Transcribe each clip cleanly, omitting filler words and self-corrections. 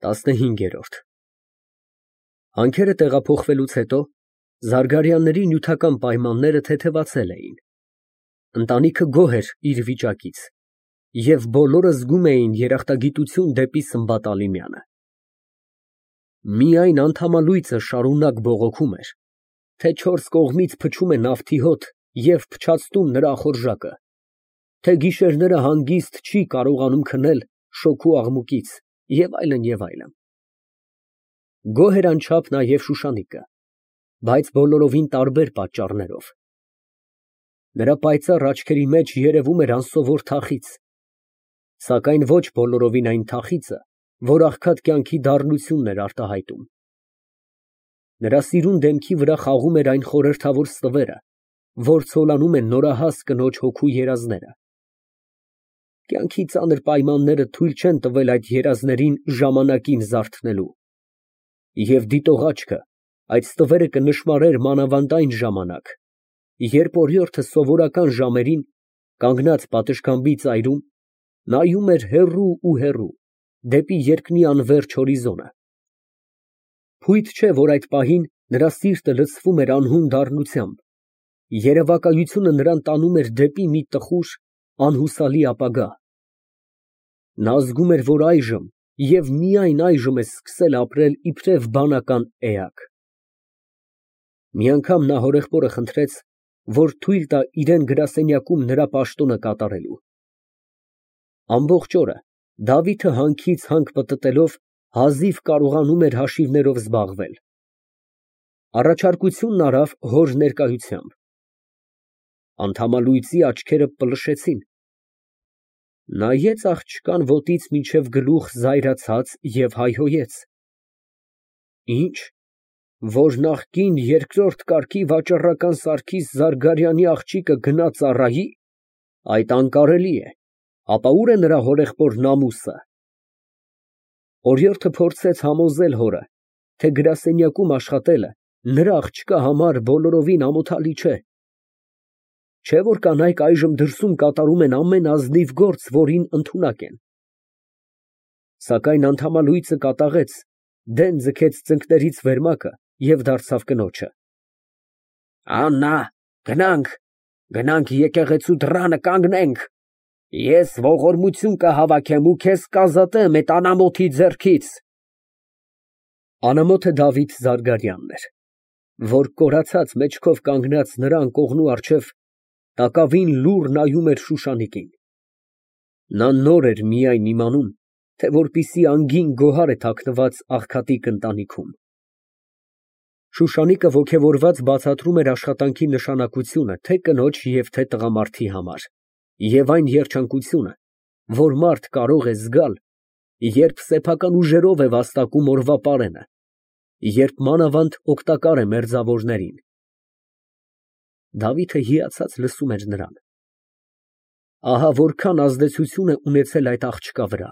15։ Հանքերը տեղափոխվելուց հետո Զարգարյանների նյութական պայմանները թեթևացել էին։ Ընտանիքը գոհ էր իր վիճակից, և բոլորը զգում էին երախտագիտություն դեպի Սմբատալիմյանը։ Միայն անդամալույծը շարունակ բողոքում էր, թե չորս կողմից փչում է նավթի հոտ և փչացնում նրա ախորժակը, թե գիշերները հանգիստ չի կարողանում քնել շոգու աղմուկից և այլն, և այլն։ Գոհ էր անչափ նաև Շուշանիկը, բայց բոլորովին տարբեր պատճառներով։ Նրա պայծառ աչքերի մեջ երևում էր անսովոր թախիծ, սակայն ոչ բոլորովին այն թախիծը, որ աղքատ կյանքի դառնությունն էր արտահայտում։ Նրա սիրուն դեմքի վրա խաղում էր այն խորհրդավոր ստվերը, որ ցոլանում են նորահաս կնոջ հոգու երազները։ Կյանքի ծանր պայմանները թույլ չեն տվել այդ երազներին ժամանակին զարթնելու, և դիտող աչքը այդ ստվերը կնշմարեր մանավանդ այն ժամանակ, երբ օրիորդը սովորական ժամերին, կանգնած պատշգամբի ծայրում, նայում էր հեռու ու հեռու, դեպի երկնի անվերջ հորիզոնը։ Փույթ չէ, որ այդ պահին նրա սիրտը լցվում էր անհուն դառնությամբ, երևակայությունը նրան տանում էր դեպի մի տխուր, անհուսալի ապագա։ Նա զգում էր, որ այժմ և միայն այժմ է սկսել ապրել իբրև բանական էակ։ Մի անգամ նա հորեղբորը խնդրեց, որ թույլ տա իրան գրասենյակում նրա պաշտոնը կատարելու։ Ամբողջ օրը Դավիթը հանքից հանք պտտելով հազիվ կարողանում էր հաշիվներով զբաղվել։ Առաջարկությունն արավ հոր ներկայությամբ։ Անդամալույծի աչքերը պլշեցին։ Նայեց աղջկան ոտից մինչև գլուխ զայրացած և հայհոյեց. Ի՞նչ, որ նախկին երկրորդ կարգի վաճառական Սարգիս Զարգարյանի աղջիկը գնա ծառայի, այդ անկարելի է, ապա ո՞ւր է նրա հորեղբորն ամուսը։ Օրիորդը փորձեց համոզել հորը, թե գրասենյակում աշխատելը նրա աղջկա համար բոլորովին ամոթալի չէ։ Չէ՞ որ կանայք այժմ դրսում կատարում են ամեն ազնիվ գործ, որին ընդունակ են։ Սակայն անդամալույծը կատաղեց, դեն ձգեց ծնկներից վերմակը և դարձավ կնոջը. Աննա, գնանք եկեղեցու դռանը կանգնենք, ես ողորմություն կհավաքեմ ու քեզ կազատեմ այդ անամոթի ձեռքից։ Անամոթը Դավիթ Զարգարյանն էր, որ կորացած մեջքով կանգնած նրա անկողնու առջև տակավին լուռ նայում էր Շուշանիկին։ Նա նոր էր միայն իմանում, թե որպիսի անգին գոհար է թաքնված աղքատիկ ընտանիքում։ Շուշանիկը ոգևորված բացատրում էր աշխատանքի նշանակությունը թե կնոջ և թե տղամարդի համար, և այն երջանկությունը, որ մարդ կարող է զգալ, երբ սեփական ուժերով է վաստակում օրվա պարենը, երբ մանավանդ օգտակար է մերձավորներին։ Դավիթը հիացած լսում էր նրան։ Ահա որքան ազդեցություն է ունեցել այդ աղջկա վրա։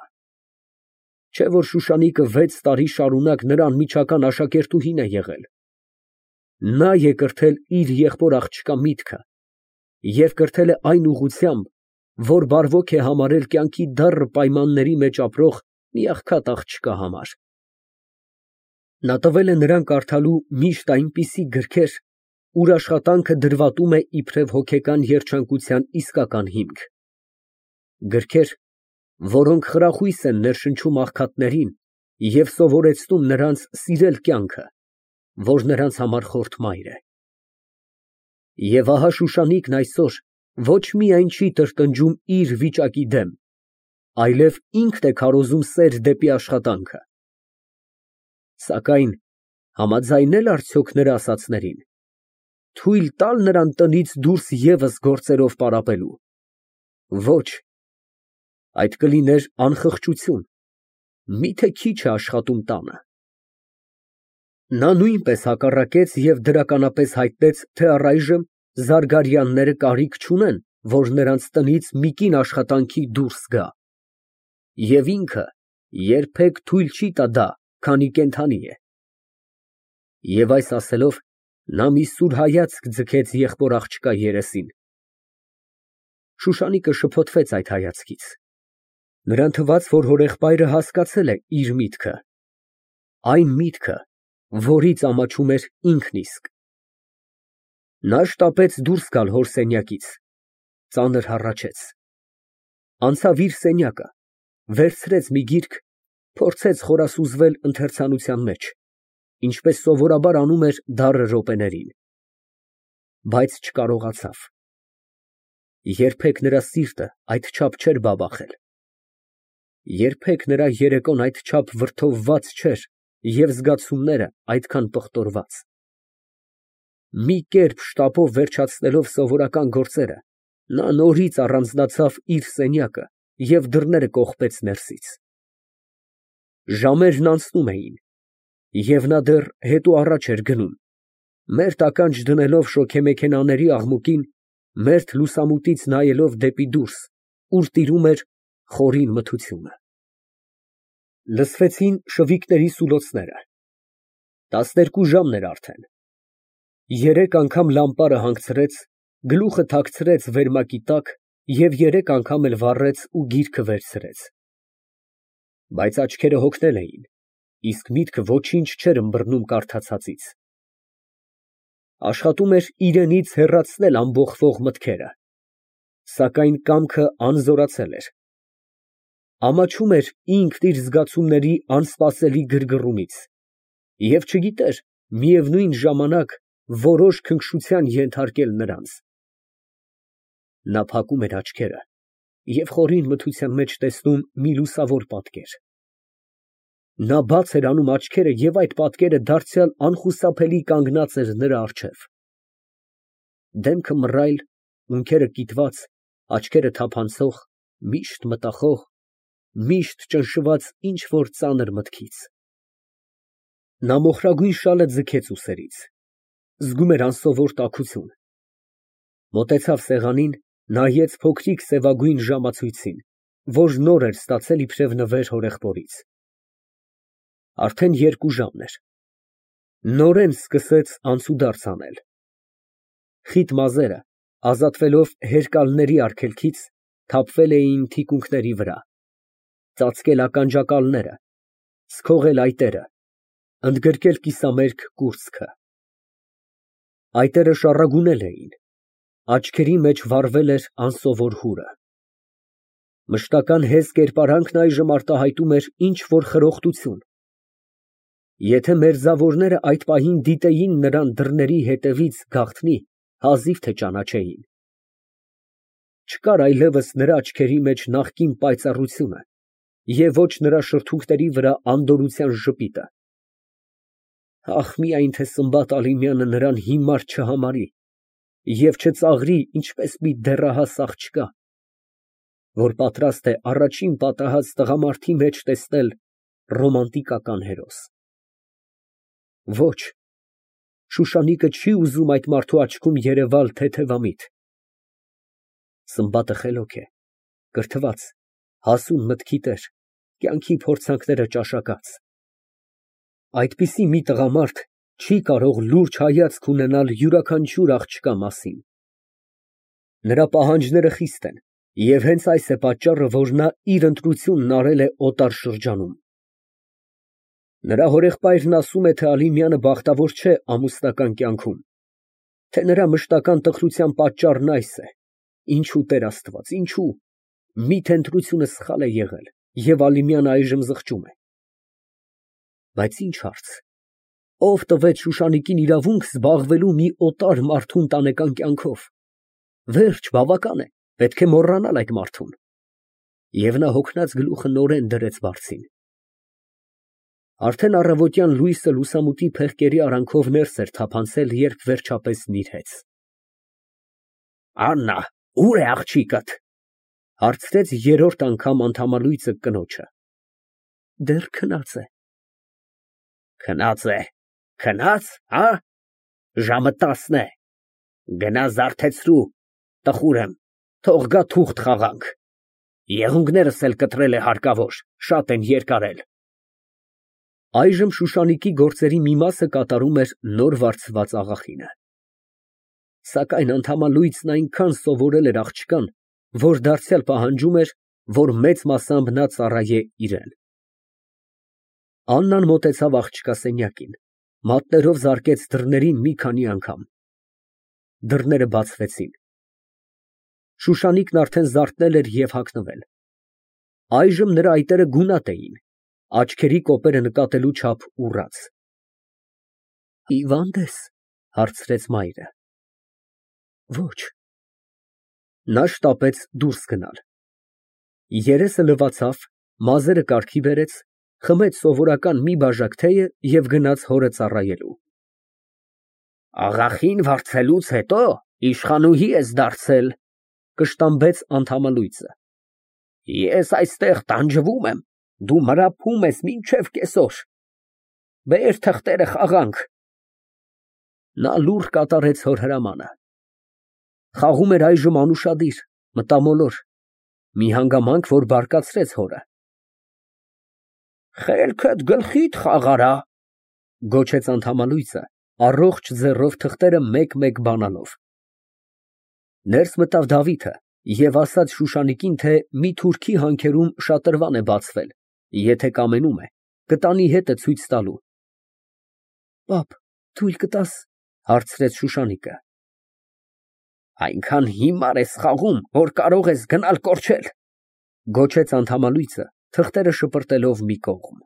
Չէ՞ որ Շուշանիկը 6 տարի շարունակ նրա անմիջական աշակերտուհին է եղել։ Նա է կրթել իր եղբոր աղջկա միտքը և կրթել է այն ուղղությամբ, որ բարվոք է համարել կյանքի դառն պայմանների մեջ ապրող մի աղքատ աղջկա համար։ Նա տվել է նրան կարդալու միշտ այնպիսի գրքեր, ուր աշխատանքը դրվատում է իբրև հոգեկան երջանկության իսկական հիմք, գրքեր, որոնք խրախույս են ներշնչում աղքատներին և սովորեցնում նրանց սիրել կյանքը, որ նրանց համար խորթ մայր է։ Եվ ահա Շուշանիկն այսօր ոչ միայն չի տրտնջում իր վիճակի դեմ, այլև ինքն է քարոզում սեր դեպի աշխատանքը։ Սակայն համաձայնե՞լ արդյոք նրա ասածներին, թույլ տա՞լ նրան տնից դուրս ևս գործերով պարապելու։ Ոչ, այդ կլիներ անխղճություն, միթե քիչ է աշխատում տանը։ Նա նույնպես հակառակեց և դրականապես հայտնեց, թե առայժմ Զարգարյանները կարիք չունեն, որ նրանց տնից մի կին աշխատանքի դուրս գա, և ինքը երբեք թույլ չի տա դա, քանի կենդանի է։ Եվ այս ասելով, նա մի սուր հայացք ձգեց եղբոր աղջկա երեսին։ Շուշանիկը շփոթվեց այդ հայացքից։ Նրան թվաց, որ հորեղբայրը հասկացել է իր միտքը այն միտքը, որից ամաչում էր ինքն իսկ։ Նա շտապեց դուրս գալ հոր սենյակից, ծանր հառաչեց, անցավ իր սենյակը, վերցրեց մի գիրք, փորձեց խորասուզվել ընթերցանության մեջ, ինչպես սովորաբար անում էր դառը րոպեներին, բայց չկարողացավ։ Երբեք նրա սիրտը այդչափ չէր բաբախել, երբեք նրա երեկոն այդչափ վրդովված չէր և զգացումները այդքան պղտորված։ Մի կերպ շտապով վերջացնելով սովորական գործերը, նա նորից առանձնացավ իր սենյակը և դռները կողպեց ներսից։ Ժամերն անցնում էին, և նա դեռ հետո առաջ էր գնում, մերթ ականջ դնելով շոգեմեքենաների աղմուկին, մերթ լուսամուտից նայելով դեպի դուրս, ուր տիրում էր խորին մթությունը։ Լսվեցին շվիքների սուլոցները, 12 ժամն էր արդեն։ Երեք անգամ լամպարը հանգցրեց, գլուխը թաքցրեց վերմակի տակ և երեք անգամ էլ վառեց ու գիրքը վերցրեց։ Բայց աչքերը հոգնել էին, իսկ միտքը ոչինչ չէր ըմբռնում կարդացածից։ Աշխատում էր իրենից հեռացնել ամբոխվող մտքերը, սակայն կամքը անզորացել էր։ Ամաչում էր ինքն իր զգացումների անսպասելի գրգռումից և չգիտեր միևնույն ժամանակ որոշ քնքշության ենթարկել նրանց։ Նա փակում էր աչքերը և խորին մթության մեջ տեսնում մի լուսավոր պատկեր։ Նա բաց էր անում աչքերը և այդ պատկերը դարձյալ անխուսափելի կանգնած էր նրա առջև։ Դեմքը մռայլ, ունքերը կիտված, աչքերը թափանցող, միշտ մտախոհ, միշտ ճնշված ինչ֊որ ծանր մտքից։ Նա մոխրագույն շալը ձգեց ուսերից, զգում էր անսովոր տաքություն։ Մոտեցավ սեղանին, նայեց փոքրիկ սևագույն ժամացույցին, որ նոր էր ստացել իբրև նվեր հորեղբորից։ Արդեն 2 ժամն էր։ Նորեն սկսեց անցուդարձ անել։ Խիտ մազերը, ազատվելով հերկալների արգելքից, թափվել էին թիկունքների վրա, ծածկել ականջակալները, սքողել այտերը, ընդգրկել կիսամերկ կուրծքը։ Այտերը շառագունել էին, աչքերի մեջ վառվել էր անսովոր հուրը։ Մշտական հեզ կերպարանքն այժմ արտահայտում էր ինչ֊որ խրոխտություն։ Եթե մերձավորները այդ պահին դիտեին նրան դռների հետևից գաղտնի, հազիվ թե ճանաչեին։ Չկար այլևս նրա աչքերի մեջ նախկին պայծառությունը և ոչ նրա շրթունքների վրա անդորրության ժպիտը։ Ահ, միայն թե Սմբատ Ալիմյանը նրան հիմար չհամարի և չծաղրի ինչպես մի դեռահաս աղջկա, որ պատրաստ է առաջին պատահած տղամարդի մեջ տեսնել ռոմանտիկական հերոս։ Ոչ, Շուշանիկը չի ուզում այդ մարդու աչքում երևալ թեթևամիտ։ Սմբատը խելոք է, կրթված, հասուն մտքի տեր, կյանքի փորձանքները ճաշակած։ Այդպիսի մի տղամարդ չի կարող լուրջ հայացք ունենալ յուրաքանչյուր աղջկա մասին։ Նրա պահանջները խիստ են, և հենց այս է պատճառը, որ նա իր ընտրությունն արել է օտար շրջանում։ Նրա հորեղբայրն ասում է, թե Ալիմյանը բախտավոր չէ ամուսնական կյանքում, թե նրա մշտական տխրության պատճառն այս է։ Ինչո՞ւ, Տեր Աստված, ինչո՞ւ։ Մի՞թե ընտրությունը սխալ է եղել, և Ալիմյանը այժմ զղջում է։ Բայց ի՞նչ հարց։ Ո՞վ տվեց Շուշանիկին իրավունք զբաղվելու մի օտար մարդու ընտանեկան կյանքով։ Վերջ, բավական է, պետք է մոռանալ այդ մարդուն։ Եվ նա հոգնած գլուխը նորեն դրեց բարձին։ Արդեն առավոտյան լույսը լուսամուտի փեղկերի արանքով ներս էր թափանցել, երբ վերջապես նիրհեց։ Աննա, ո՞ւր է աղջիկդ, հարցրեց երրորդ անգամ անդամալույծը կնոջը։ Դեռ քնած է։ Քնած է, քնած, հա։ Ժամը 10 է։ Գնա զարթեցրու, տխուր եմ, թող գա թուղթ խաղանք։ Եղունգներս էլ կտրել է հարկավոր, շատ են երկարել։ Այժմ Շուշանիկի գործերի մի մասը կատարում էր նոր վարձված աղախինը։ Սակայն անդամալույծն այնքան սովորել էր աղջկան, որ դարձյալ պահանջում էր, որ մեծ մասամբ նա ծառայե իրան։ Աննան մոտեցավ աղջկա սենյակին, մատներով զարկեց դռներին մի քանի անգամ։ Դռները բացվեցին։ Շուշանիկն արդեն զարթնել էր և հագնվել։ Այժմ նրա այտերը գունատ էին, աչքերի կոպերը նկատելու չափ ուռած։ «Հիվա՞նդ ես», հարցրեց մայրը։ Ոչ։ Նա շտապեց դուրս գնալ։ Երեսը լվացավ, մազերը կարգի բերեց, խմեց սովորական մի բաժակ թեյը և գնաց հորը ծառայելու։ «Աղախին վարձելուց հետո իշխանուհի ես դարձել», կշտամբեց անդամալույձը։ «Ես այստեղ տանջվում եմ, դու մրապում ես մինչև կեսօր։ Բեր թղթերը խաղանք»։ Նա լուռ կատարեց հոր հրամանը։ Խաղում էր այժմ անուշադիր, մտամոլոր, մի հանգամանք, որ բարկացրեց հորը։ «Խելքդ գլխիդ խաղարա», գոչեց անդամալույձը, առողջ ձեռով թղթերը մեկ֊մեկ բանալով։ Ներս մտավ Դավիթը և ասաց Շուշանիկին, թե մի թուրքի հանքերում շատրվան է բացվել, եթե կամենում է, կտանի հետը ցույց տալու։ «Պապ, թույլ կտա՞ս», հարցրեց Շուշանիկը։ «Այնքան հիմար ես խաղում, որ կարող ես գնալ կորչել», գոչեց անդամալույձը, թղթերը շպրտելով մի կողմ։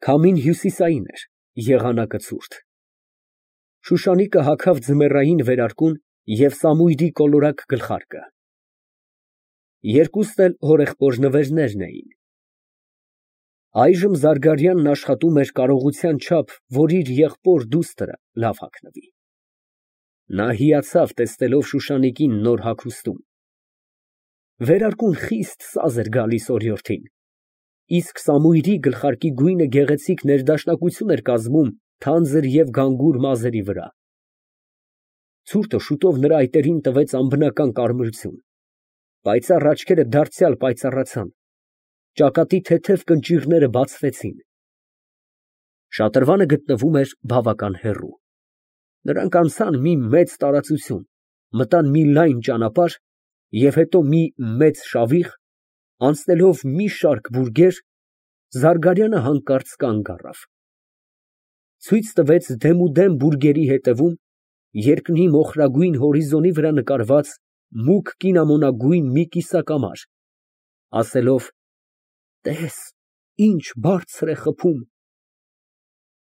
Քամին հյուսիսային էր, եղանակը ցուրտ։ Շուշանիկը հագավ ձմեռային վերարկուն և սամույրի կոլորակ գլխարկը։ Երկուսն էլ հորեղբոր նվերներն էին։ Այժմ Զարգարյանն աշխատում էր կարողության չափ, որ իր եղբոր դուստրը լավ հագնվի։ Նա հիացավ, տեսնելով Շուշանիկին նոր հագուստում։ Վերարկուն խիստ սազ էր գալիս օրիորդին, իսկ սամույրի գլխարկի գույնը գեղեցիկ ներդաշնակություն էր կազմում թանձր և գանգուր մազերի վրա։ Ցուրտը շուտով նրա այտերին տվեց անբնական կարմրություն, պայծառ աչքերը դարձյալ պայծառացան, ճակատի թեթև կնճիռները բացվեցին։ Շատրվանը գտնվում էր բավական հեռու։ Նրանք անցան մի մեծ տարածություն, մտան մի լայն ճանապարհ և հետո մի մեծ շավիղ, անցնելով մի շարք բուրգեր, Զարգարյանը հանկարծ կանգ առավ։ Ցույց տվեց դեմուդեմ բուրգերի ետևում երկնի մոխրագույն հորիզոնի վրա նկարված մուգ կինամոնագույն մի կիսակամար, ասելով. «Տես, ինչ բարձր է խփում»։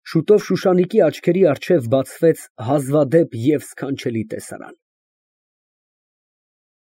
Շուտով Շուշանիկի աչքերի առջև բացվեց հազվադեպ և սքանչելի տեսարան։